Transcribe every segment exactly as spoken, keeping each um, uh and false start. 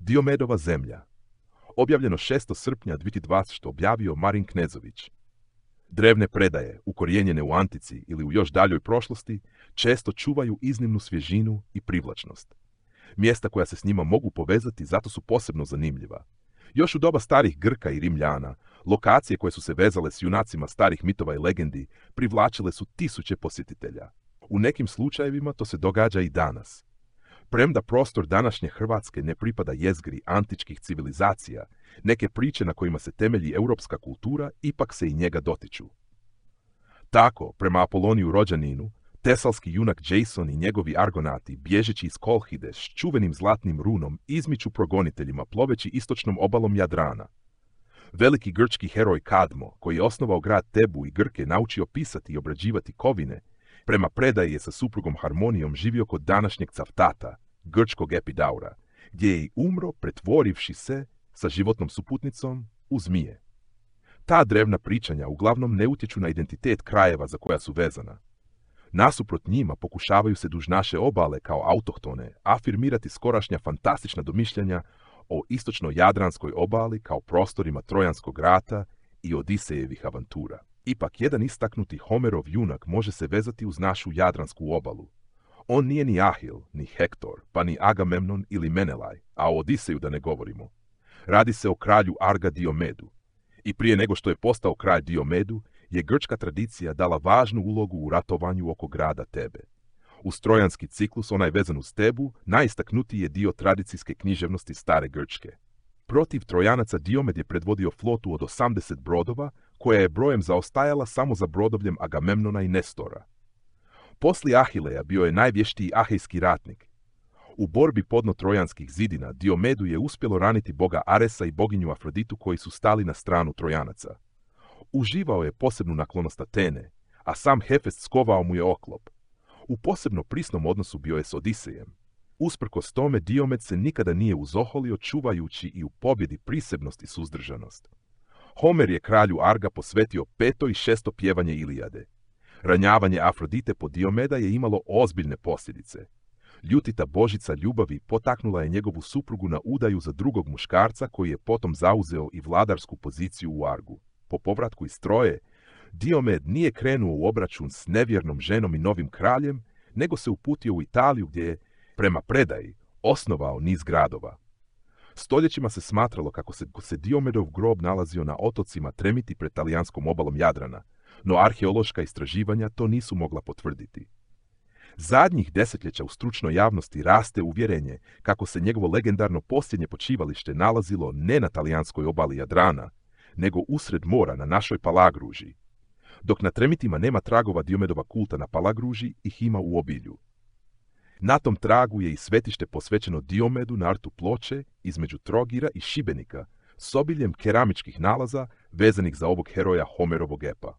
Diomedova zemlja. Objavljeno šestog srpnja dvije tisuće dvadesete. Objavio Marin Knezović. Drevne predaje, ukorijenjene u antici ili u još daljoj prošlosti, često čuvaju iznimnu svježinu i privlačnost. Mjesta koja se s njima mogu povezati zato su posebno zanimljiva. Još u doba starih Grka i Rimljana, lokacije koje su se vezale s junacima starih mitova i legendi privlačile su tisuće posjetitelja. U nekim slučajevima to se događa i danas. Premda prostor današnje Hrvatske ne pripada jezgri antičkih civilizacija, neke priče na kojima se temelji europska kultura ipak se i njega dotiču. Tako, prema Apoloniju Rođaninu, tesalski junak Jason i njegovi argonati, bježeći iz Kolhide s čuvenim zlatnim runom, izmiču progoniteljima ploveći istočnom obalom Jadrana. Veliki grčki heroj Kadmo, koji je osnovao grad Tebu i Grke naučio pisati i obrađivati kovine, prema predaji je sa suprugom Harmonijom živio kod današnjeg Caftata, grčkog Epidaura, gdje je i umro pretvorivši se sa životnom suputnicom u zmije. Ta drevna pričanja uglavnom ne utječu na identitet krajeva za koja su vezana. Nasuprot njima pokušavaju se duž naše obale kao autohtone afirmirati skorašnja fantastična domišljanja o istočno-jadranskoj obali kao prostorima Trojanskog rata i Odisejevih avantura. Ipak jedan istaknuti Homerov junak može se vezati uz našu jadransku obalu. On nije ni Ahil, ni Hektor, pa ni Agamemnon ili Menelaj, a o Odiseju da ne govorimo. Radi se o kralju Arga Diomedu. I prije nego što je postao kralj Diomedu, je grčka tradicija dala važnu ulogu u ratovanju oko grada Tebe. Uz trojanski ciklus, onaj vezan uz Tebu, najistaknutiji je dio tradicijske književnosti stare Grčke. Protiv Trojanaca Diomed je predvodio flotu od osamdeset brodova, koja je brojem zaostajala samo za brodovljem Agamemnona i Nestora. Poslije Ahileja bio je najvještiji ahejski ratnik. U borbi podno trojanskih zidina Diomedu je uspjelo raniti boga Aresa i boginju Afroditu koji su stali na stranu Trojanaca. Uživao je posebnu naklonost Atene, a sam Hefest skovao mu je oklop. U posebno prisnom odnosu bio je s Odisejem. Usprkos tome Diomed se nikada nije uzoholio čuvajući i u pobjedi prisebnost i suzdržanost. Homer je kralju Arga posvetio peto i šesto pjevanje Ilijade. Ranjavanje Afrodite po Diomeda je imalo ozbiljne posljedice. Ljutita božica ljubavi potaknula je njegovu suprugu na udaju za drugog muškarca koji je potom zauzeo i vladarsku poziciju u Argu. Po povratku iz Troje, Diomed nije krenuo u obračun s nevjernom ženom i novim kraljem, nego se uputio u Italiju gdje je, prema predaji, osnovao niz gradova. Stoljećima se smatralo kako se, se Diomedov grob nalazio na otocima Tremiti pred talijanskom obalom Jadrana, no arheološka istraživanja to nisu mogla potvrditi. Zadnjih desetljeća u stručnoj javnosti raste uvjerenje kako se njegovo legendarno posljednje počivalište nalazilo ne na talijanskoj obali Jadrana, nego usred mora na našoj Palagruži. Dok na Tremitima nema tragova Diomedova kulta na Palagruži, ih ima u obilju. Na tom tragu je i svetište posvećeno Diomedu na rtu Ploče između Trogira i Šibenika s obiljem keramičkih nalaza vezanih za ovog heroja Homerovog epa.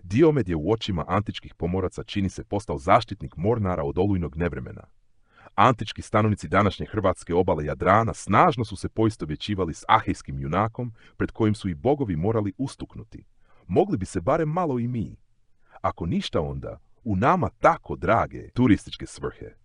Diomed je u očima antičkih pomoraca čini se postao zaštitnik mornara od olujnog nevremena. Antički stanovnici današnje hrvatske obale Jadrana snažno su se poistovjećivali s ahejskim junakom pred kojim su i bogovi morali ustuknuti. Mogli bi se barem malo i mi. Ako ništa onda, u nama tako drage turističke svrhe.